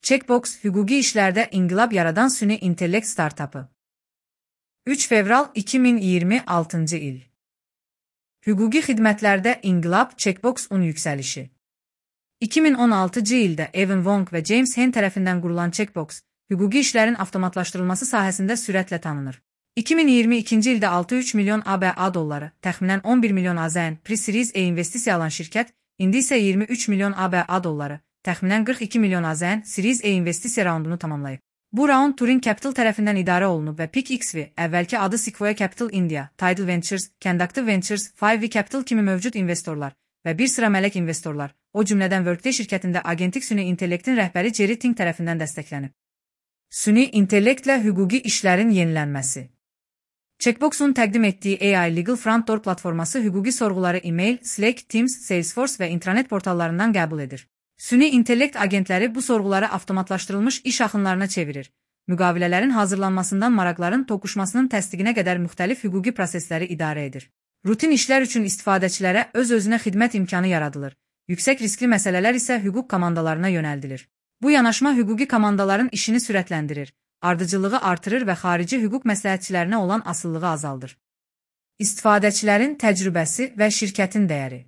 Checkbox, hüquqi işlərdə inqilab yaradan süni intellekt startapı. 3 fevral 2026 il. Hüquqi xidmətlərdə inqilab Checkbox-un yüksəlişi. 2016-cı ildə Evan Wong və James Hen tərəfindən qurulan Checkbox, hüquqi işlərin avtomatlaşdırılması sahəsində sürətlə tanınır. 2022-ci ildə 6,3 milyon ABA dolları, təxminən 11 milyon AZN Pre-Series E investisiya alan şirkət, indi isə 23 milyon ABA dolları, təxminən 42 milyon AZN Series E investisiya raundunu tamamlayıb. Bu raund Turing Capital tərəfindən idarə olunub və PIC-XV, əvvəlki adı Sequoia Capital India, Tidal Ventures, Conductive Ventures, 5V Capital kimi mövcud investorlar və bir sıra mələk investorlar, o cümlədən Workday şirkətində agentik süni intellektin rəhbəri Jerry Ting tərəfindən dəstəklənib. Süni intellektlə hüquqi işlərin yenilənməsi. Checkbox-un təqdim etdiyi AI Legal Front Door platforması hüquqi sorğuları e-mail, Slack, Teams, Salesforce və intranet portallarından qəbul edir. Süni intellekt agentləri bu sorğuları avtomatlaşdırılmış iş axınlarına çevirir. Müqavilələrin hazırlanmasından maraqların toqquşmasının təsdiqinə qədər müxtəlif hüquqi prosesləri idarə edir. Rutin işlər üçün istifadəçilərə öz-özünə xidmət imkanı yaradılır. Yüksək riskli məsələlər isə hüquq komandalarına yönəldilir. Bu yanaşma hüquqi komandaların işini sürətləndirir, ardıcıllığı artırır və xarici hüquq məsləhətçilərinə olan asılılığı azaldır. İstifadəçilərin təcrübəsi və şirkətin dəyəri.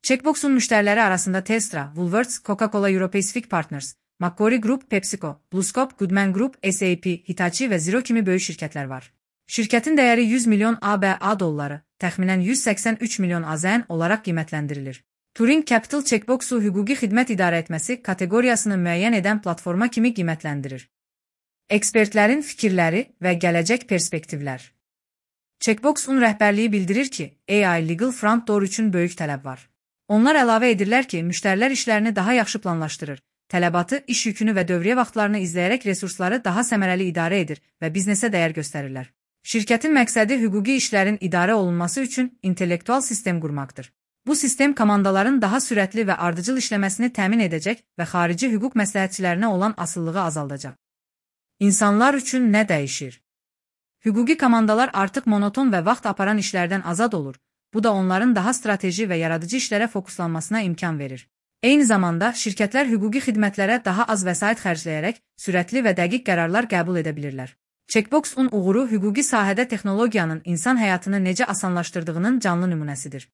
Checkbox-un müştəriləri arasında Telstra, Woolworths, Coca-Cola Europacific Partners, Macquarie Group, PepsiCo, BlueScope, Goodman Group, SAP, Hitachi və Xero kimi böyük şirkətlər var. Şirkətin dəyəri 100 milyon ABA dolları, təxminən 183 milyon AZN olaraq qiymətləndirilir. Turing Capital Checkbox-u hüquqi xidmət idarə etməsi kateqoriyasını müəyyən edən platforma kimi qiymətləndirir. Ekspertlərin fikirləri və gələcək perspektivlər. Checkbox-un rəhbərliyi bildirir ki, AI Legal Front Door üçün böyük tələb var. Onlar əlavə edirlər ki, müştərilər işlərini daha yaxşı planlaşdırır, tələbatı, iş yükünü və dövriyyə vaxtlarını izləyərək resursları daha səmərəli idarə edir və biznesə dəyər göstərirlər. Şirkətin məqsədi hüquqi işlərin idarə olunması üçün intellektual sistem qurmaqdır. Bu sistem komandaların daha sürətli və ardıcıl işləməsini təmin edəcək və xarici hüquq məsləhətçilərinə olan asılılığı azaldacaq. İnsanlar üçün nə dəyişir? Hüquqi komandalar artıq monoton və vaxt aparan işlərdən azad olur. Bu da onların daha strateji və yaradıcı işlərə fokuslanmasına imkan verir. Eyni zamanda, şirkətlər hüquqi xidmətlərə daha az vəsait xərcləyərək sürətli və dəqiq qərarlar qəbul edə bilirlər. Checkbox-un uğuru hüquqi sahədə texnologiyanın insan həyatını necə asanlaşdırdığının canlı nümunəsidir.